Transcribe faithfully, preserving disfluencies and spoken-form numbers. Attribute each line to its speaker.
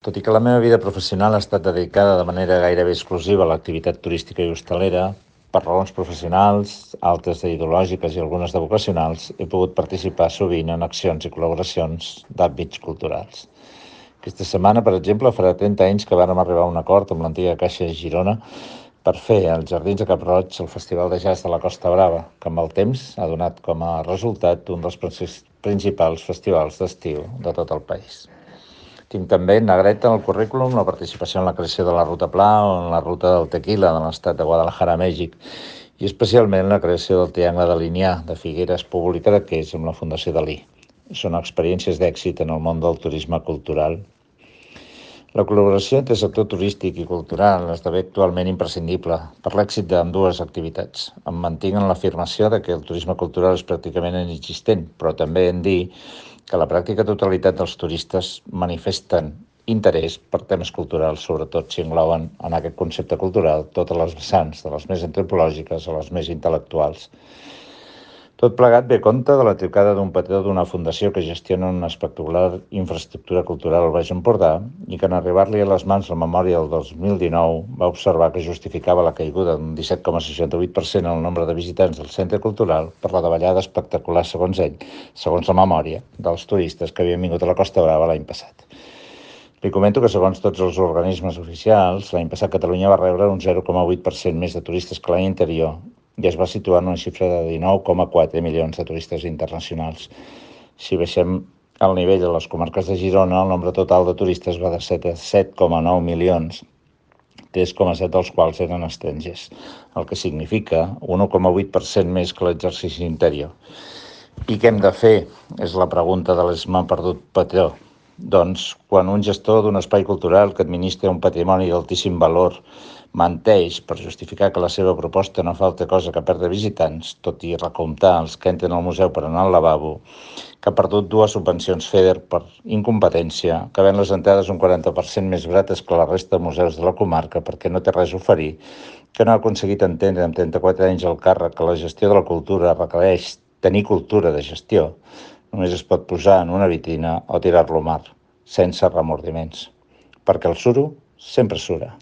Speaker 1: Tot i que la meva vida professional ha estat dedicada de manera gairebé exclusiva a l'activitat turística i hostalera, per raons professionals, altres ideològiques i algunes de vocacionals, he pogut participar sovint en accions i col·laboracions d'àmbits culturals. Aquesta setmana, per exemple, farà trenta anys que vàrem arribar a un acord amb l'antiga Caixa de Girona per fer als Jardins de Cap-roig el Festival de Jazz de la Costa Brava, que amb el temps ha donat com a resultat un dels principals festivals d'estiu de tot el país. Tinc també en negreta en el currículum la participació en la creació de la Ruta Pla o en la Ruta del Tequila de l'estat de Guadalajara, Mèxic, i especialment la creació del Triangle de Linyà de Figueres, Púbol i Cadaqués amb la Fundació Dalí. Són experiències d'èxit en el món del turisme cultural. La col·laboració entre el sector turístic i cultural esdevé actualment imprescindible per l'èxit d'ambdues activitats. Em mantinc en l'afirmació de que el turisme cultural és pràcticament inexistent, però també en dir que la pràctica totalitat dels turistes manifesten interès per temes culturals, sobretot si engloben en aquest concepte cultural totes les vessants, de les més antropològiques a les més intel·lectuals. Tot plegat ve a compte de la trucada d'un petó d'una fundació que gestiona una espectacular infraestructura cultural al Baix Empordà i que en arribar-li a les mans la memòria del dos mil dinou va observar que justificava la caiguda d'un disset coma seixanta-vuit per cent en el nombre de visitants del centre cultural per la davallada espectacular, segons ell, segons la memòria, dels turistes que havien vingut a la Costa Brava l'any passat. Li comento que, segons tots els organismes oficials, l'any passat Catalunya va rebre un zero coma vuit per cent més de turistes que l'any anterior i es va situar en una xifra de dinou coma quatre milions de turistes internacionals. Si baixem al nivell de les comarques de Girona, el nombre total de turistes va de set coma nou milions, tres coma set dels quals eren estrangers, el que significa un un coma vuit per cent més que l'exercici anterior. I què hem de fer? És la pregunta de l'Esma perdut patró. Doncs, quan un gestor d'un espai cultural que administra un patrimoni d'altíssim valor menteix per justificar que la seva proposta no fa altra cosa que perdre visitants, tot i recomptar els que entren al museu per anar al lavabo, que ha perdut dues subvencions FEDER per incompetència, que ven les entrades un quaranta per cent més barates que la resta de museus de la comarca perquè no té res a oferir, que no ha aconseguit entendre amb trenta-quatre anys al càrrec que la gestió de la cultura requereix tenir cultura de gestió, només es pot posar en una vitrina o tirar-lo al mar, sense remordiments, perquè el suro sempre sura.